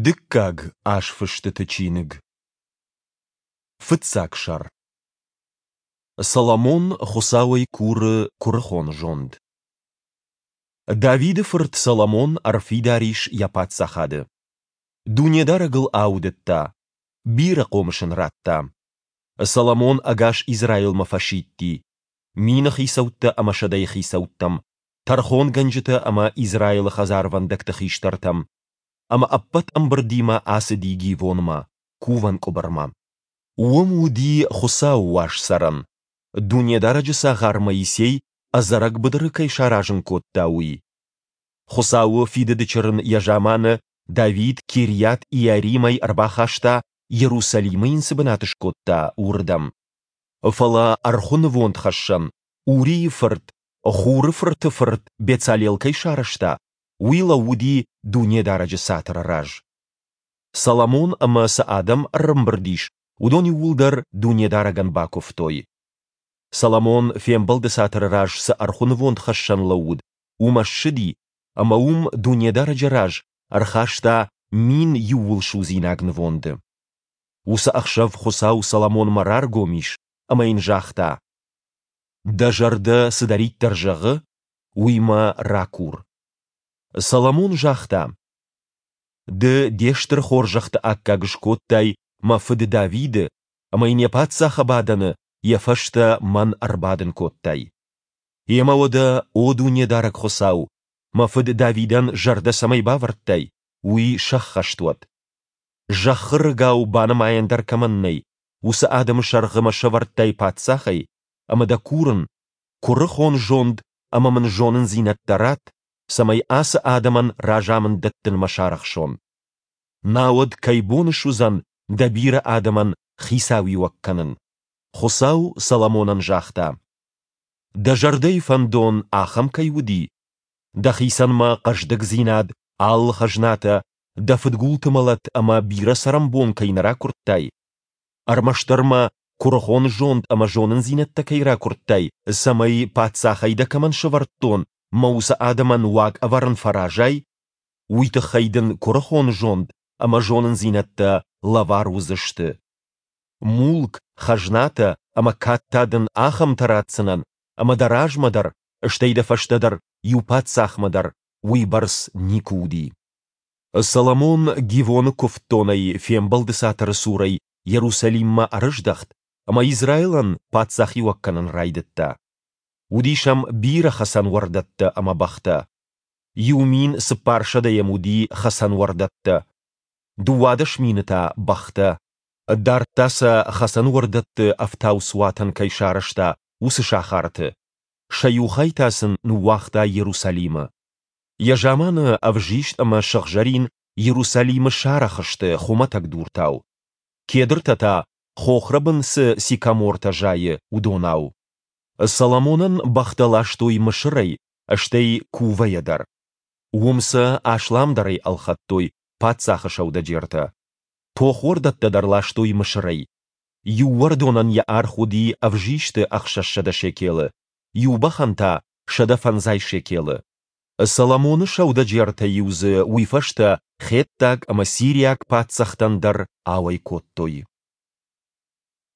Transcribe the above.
Дыккаг азфыстыты чиныг. Фыццаг сӕр. Соломон Хуыцауӕй куры куырыхон зонд. Давиды фырт Соломон ӕрфидар ис йӕ паддзахады. Дунедарӕг ыл аудыдта, бирӕ хъомыс ын радта. Соломон ӕгас Израилмӕ фӕсидти, мины хицӕуттӕ ӕмӕ сӕдӕйы хицӕуттӕм, тӕрхонгӕнджытӕ ӕмӕ Израилы хӕдзарвӕндӕгты хистӕртӕм, ӕмӕ ӕппӕт ӕмбырдимӕ ацыди Гивонмӕ, кувӕн къуыбырмӕ. Уым уыди Хуыцауы уаз цӕрӕн, Дунедарӕджы цагъар Моисей ӕдзӕрӕг быдыры кӕй саразын кодта, уый. Хуыцауы фидыды чырын йӕ заманы Давид Кирйат-Иаримӕй ӕрбахаста, Иерусалимы йын цы бынат скодта, уырдӕм. Фӕлӕ ӕрхуы нывондхӕссӕн Урийы фырт Хуры фырты фырт Бецалел кӕй сарӕзта, уый лӕууыди Дунедарӕджы цатыры раз. Соломон ӕмӕ цы адӕм ӕрӕмбырд ис, уыдон иууылдӕр Дунедарӕгӕн бакуывтой. Соломон фембӕлды цатыры раз цы ӕрхуы нывондхӕссӕн лӕууыд, уымӕ ссыди ӕмӕ уым Дунедарӕджы раз ӕрхаста 1000 иууылсудзинаг нывонды. Уыцы ӕхсӕв Хуыцау Соломонмӕ раргом ис ӕмӕ йын загъта: Дӕ зӕрдӕ цыдӕриддӕр зӕгъы, уый мӕ ракур. Соломон загъта: Ды де стыр хорзӕхты аккаг скодтай мӕ фыд Давиды ӕмӕ йын йӕ паддзахы бадӕны йӕ фӕстӕ мӕн ӕрбадын кодтай. Гъемӕ уӕдӕ, о Дунедарӕг Хуыцау, мӕ фыд Давидӕн зӕрдӕ цӕмӕй бавӕрдтай, уый сӕххӕст уӕд. Зӕххы рыгау банымайӕн дӕр кӕмӕн нӕй, уыцы адӕмы сӕргъы мӕ сӕвӕрдтай паддзахӕй, ӕмӕ дӕ курын, куырыхон зонд ӕмӕ мын зонындзинӕдтӕ ратт, цӕмӕй ацы адӕмӕн разамынд дӕттынмӕ сарӕхсон. Науӕд кӕй бон суыдзӕн дӕ бирӕ адӕмӕн хицауиуӕг кӕнын? Хуыцау Соломонӕн загъта: Дӕ зӕрдӕйы фӕндон ахӕм кӕй уыди, дӕхицӕн мӕ хъӕздыгдзинад, алы хӕзнатӕ, дӕ фыдгулты мӕлӕт ӕмӕ бирӕ цӕрӕнбон кӕй нӕ ракуырдтай, ӕрмӕстдӕр мӕ куырыхон зонд ӕмӕ зонындзинӕдтӕ кӕй ракуырдтай, цӕмӕй, паддзахӕй дӕ кӕмӕн сӕвӕрдтон, мӕ уыцы адӕмӕн уаг ӕвӕрын фӕразай, уый тыххӕй дын куырыхон зонд ӕмӕ зонындзинӕдтӕ лӕвар уыдзысты. Мулк, хӕзнатӕ ӕмӕ кад та дын ахӕмтӕ ратдзынӕн, ӕмӕ дӕ размӕ дӕр, стӕй дӕ фӕстӕ дӕр иу паддзахмӕ дӕр уыйбӕрц никуы уыди. Соломон Гивоны куывддонӕй Фембӕлды цатыры цурӕй Иерусалиммӕ ӕрыздӕхт ӕмӕ Израилӕн паддзахиуӕг кӕнын райдыдта. Уыдис ӕм бирӕ хӕцӕнуӕрдӕттӕ ӕмӕ бӕхтӕ. 1400 йӕм уыди хӕцӕнуӕрдӕттӕ, 12 000 та бӕхтӕ. Дардта сӕ, хӕцӕнуӕрдӕтты ӕфтауцуатӕн кӕй сарӕзта, уыцы сахарты. Сӕ иу хай та сын ныууагъта Иерусалимы. Йӕ заманы ӕвзист ӕмӕ сыгъзӕрин Иерусалимы сарӕх сты хуымӕтӕг дуртау, кедртӕ та, хохрӕбын цы сикамортӕ зайы, уыдонау. Соломонӕн бӕхтӕ ластой Мысырӕй, стӕй Кувӕйӕ дӕр. Уым сӕ асламдӕрӕй ӕлхӕдтой паддзахы сӕудӕджертӕ. Тохуӕрдӕттӕ дӕр ластой Мысырӕй. Иу уӕрдонӕн йӕ аргъ уыди ӕвзисты 600 шекелы, иу бӕхӕн та 150 шекелы. Соломоны сӕудӕджертӕ-иу дзы уый фӕстӕ хеттаг ӕмӕ сириаг паддзӕхтӕн дӕр ауӕй кодтой.